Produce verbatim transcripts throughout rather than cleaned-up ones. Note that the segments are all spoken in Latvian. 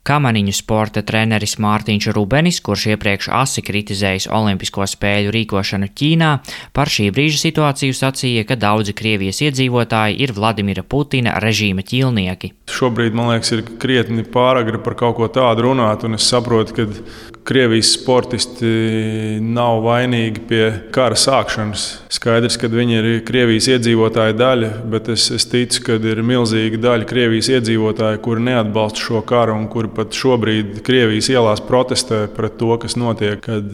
Kamaniņu sporta treneris Mārtiņš Rubenis, kurš iepriekš asi kritizējis Olimpisko spēļu rīkošanu Ķīnā, par šī brīža situāciju sacīja, ka daudzi Krievijas iedzīvotāji ir Vladimira Putina režīma ķīlnieki. Šobrīd, man liekas, ir krietni pāragri par kaut ko tādu runāt, un es saprotu, ka Krievijas sportisti nav vainīgi pie kara sākšanas. Skaidrs, ka viņi ir Krievijas iedzīvotāja daļa, bet es, es ticu, ka ir milzīga daļa Krievijas iedzīvotāji, kuri neatbalsta šo karu un kuri pat šobrīd Krievijas ielās protestē pret to, kas notiek, kad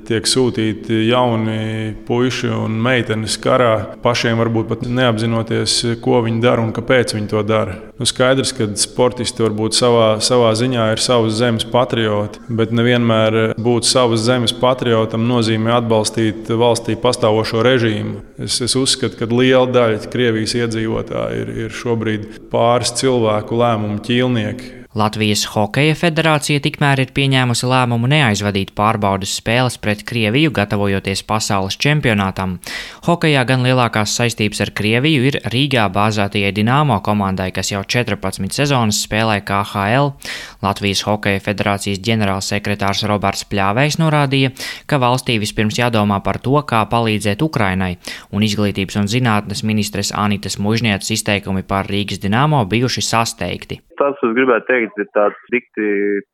tiek sūtīti jauni puiši un meitenes karā, pašiem varbūt pat neapzinoties, ko viņi dara un kāpēc viņi to dara. Nu, skaidrs, ka sportisti varbūt savā, savā ziņā ir savas zemes patrioti, bet nevienmēr būt savas zemes patriotam nozīmē atbalstīt valstī pastāvošo režīmu. Es, es uzskatu, ka liela daļa Krievijas iedzīvotāji ir, ir šobrīd pāris cilvēku lēmumu ķīlnieki. Latvijas Hokeja federācija tikmēr ir pieņēmusi lēmumu neaizvadīt pārbaudes spēles pret Krieviju, gatavojoties pasaules čempionātam. Hokejā gan lielākās saistības ar Krieviju ir Rīgā bāzētajai Dinamo komandai, kas jau četrpadsmit sezonas spēlē K H L. Latvijas Hokeja federācijas ģenerālsekretārs Roberts Pļāvejs norādīja, ka valstī vispirms jādomā par to, kā palīdzēt Ukrainai, un izglītības un zinātnes ministres Anitas Mužnieces izteikumi par Rīgas Dinamo bijuši sasteigti. Tas, es gribētu teikt, ir tāds dikti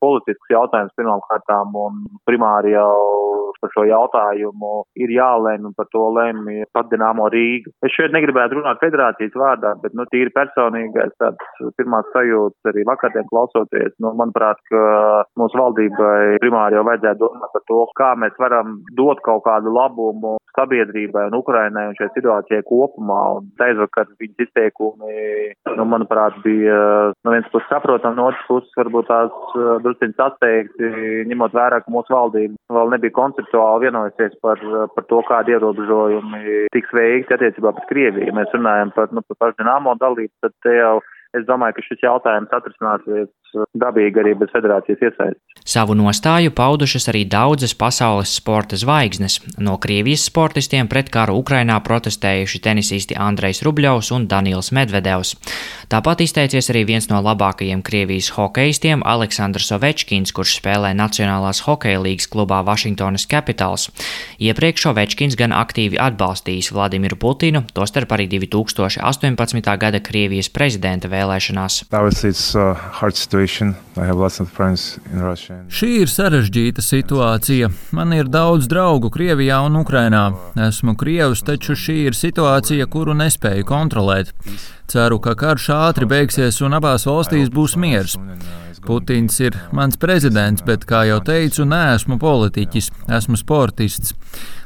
politisks jautājums pirmām kārtām, un primāri jau par šo jautājumu ir jālemj, un par to lemj pat Dinamo Rīga. Es šeit negribētu runāt federācijas vārdā, bet nu, tīri personīgais tāds pirmās sajūtas arī vakardien klausoties. Nu, manuprāt, ka mūsu valdībai primāri jau vajadzētu domāt par to, kā mēs varam dot kaut kādu labumu sabiedrībai un Ukrainai un šai situācijai kopumā. Un aizvakar viņas izteikumi, nu, manuprāt, bija no viens puses saprotam, no otras puses varbūt tās drusciņas atteikti, ņemot vērā, ka mūsu valdība vēl nebija konceptuāli vienojusies par, par to, kādi ierobežojumi tiks veikti attiecībā pret Krieviju. Ja mēs runājam par, nu, par pašu Dinamo dalību, tad te jau es domāju, ka šis jautājums atrisināsies dabīgi arī bez federācijas iesaistes. Savu nostāju paudušas arī daudzas pasaules sporta zvaigznes. No Krievijas sportistiem pret karu Ukrainā protestējuši tenisisti Andrejs Rubļovs un Danils Medvedevs. Tāpat izteicies arī viens no labākajiem Krievijas hokejistiem Aleksandrs Ovečkins, kurš spēlē Nacionālās hokeja līgas klubā Washingtonas Capitals. Iepriekš Ovečkins gan aktīvi atbalstījis Vladimiru Putinu, tostarp arī divi tūkstoši astoņpadsmitā gada Krievijas prezidenta vēlēšanās. Šī ir sarežģīta situācija. Man ir daudz draugu Krievijā un Ukrainā. Esmu krievs, taču šī ir situācija, kuru nespēju kontrolēt. Ceru, ka karš ātri beigsies un abās valstīs būs miers. Putins ir mans prezidents, bet, kā jau teicu, neesmu politiķis, esmu sportists.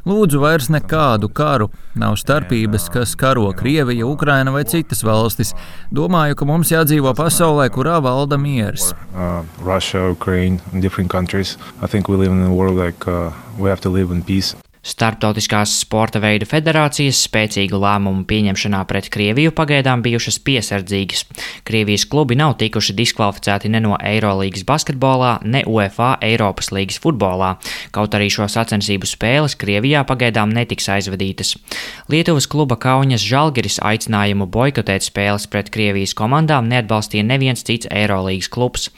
Lūdzu vairs nekādu karu. Nav starpības, kas karo Krievija, Ukraina vai citas valstis. Domāju, ka mums jādzīvo pasaulē, kurā valda miers. Uh, Russia, Ukraine, different countries. I think we live in a world like uh, we have to live in peace. Starptautiskās sporta veidu federācijas spēcīgu lēmumu pieņemšanā pret Krieviju pagaidām bijušas piesardzīgas. Krievijas klubi nav tikuši diskvalificēti ne no Eirolīgas basketbolā, ne UEFA Eiropas līgas futbolā, kaut arī šo sacensību spēles Krievijā pagaidām netiks aizvadītas. Lietuvas kluba Kaunas Žalgiris aicinājumu boikotēt spēles pret Krievijas komandām neatbalstīja neviens cits Eirolīgas klubs.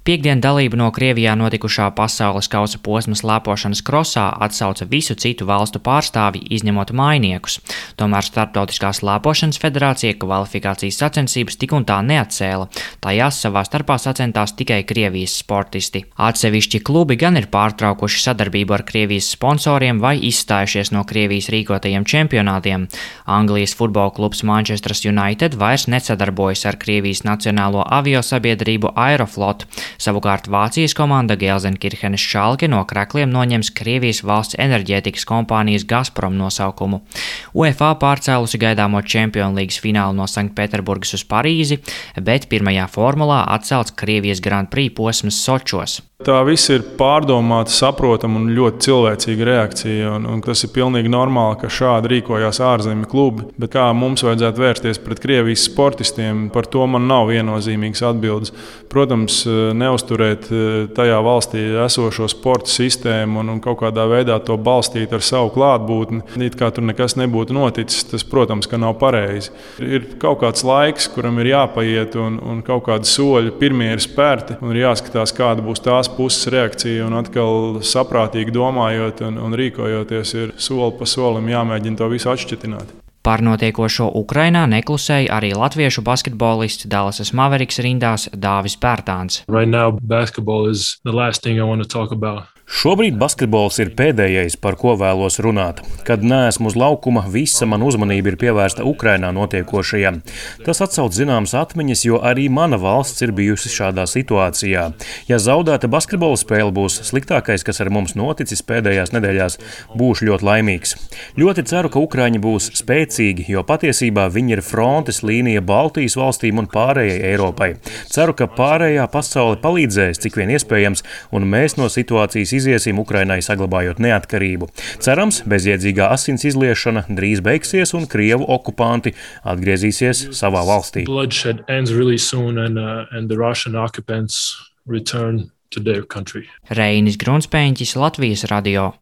Piektdien dalību no Krievijā notikušā pasaules kausa posma slēpošanas krosā atsauca visu citu valstu pārstāvji, izņemot mainiekus. Tomēr Starptautiskās slēpošanas federācija kvalifikācijas sacensības tik un tā neatcēla. Tajās savā starpā sacentās tikai Krievijas sportisti. Atsevišķi klubi gan ir pārtraukuši sadarbību ar Krievijas sponsoriem vai izstājušies no Krievijas rīkotajiem čempionātiem. Anglijas futbola klubs Manchester United vairs nesadarbojas ar Krievijas nacionālo aviosabiedrību Aeroflot. Savukārt Vācijas komanda Gelsenkirchenes Schalke no krekliem noņems Krievijas valsts enerģētikas kompānijas Gazprom nosaukumu. UEFA pārcēlusi gaidāmo Champions Leagues finālu no Sanktpēterburgas uz Parīzi, bet pirmajā formulā atcelts Krievijas Grand Prix posms Sočos. tā viss ir pārdomāta, saprotama un ļoti cilvēcīga reakcija. Un, un tas ir pilnīgi normāli, ka šādi rīkojās ārzemju klubi. Bet kā mums vajadzētu vērsties pret Krievijas sportistiem, par to man nav viennozīmīgas atbildes. Protams, neuzturēt tajā valstī esošo sporta sistēmu un, un kaut kādā veidā to balstīt ar savu klātbūtni, it kā tur nekas nebūtu noticis, tas, protams, ka nav pareizi. Ir kaut kāds laiks, kuram ir jāpaiet un, un kaut kādi soļi pirmie ir spērti un ir jāskatās, kāda būs tās puses reakcija un atkal saprātīgi domājot un, un rīkojoties ir soli pa solim jāmēģina to visu atšķetināt. Par notiekošo Ukrainā neklusēja arī latviešu basketbolists Dallasas Mavericks rindās Dāvis Pērtāns. Right now, basketball is the last thing I want to talk about. Šobrīd basketbols ir pēdējais, par ko vēlos runāt. Kad neesmu uz laukuma, visa mana uzmanība ir pievērsta Ukrainā notiekošajam. Tas atsauc zināmas atmiņas, jo arī mana valsts ir bijusi šādā situācijā. Ja zaudēta basketbola spēle būs sliktākais, kas ar mums noticis pēdējās nedēļās, būšu ļoti laimīgs. Ļoti ceru, ka Ukraiņi būs spēcīgi, jo patiesībā viņi ir frontes līnija Baltijas valstīm un pārējai Eiropai. Ceru, ka pārējā pasaule palīdzēs, cik vien iespējams, un mēs no situācijas iziesim Ukrainai saglabājot neatkarību. Cerams, bezjēdzīgā asins izliešana drīz beigsies un Krievu okupanti atgriezīsies savā valstī. Bloodshed ends really soon and, uh, and the Russian occupants return to their country. Reinis Grunspēņķis, Latvijas radio.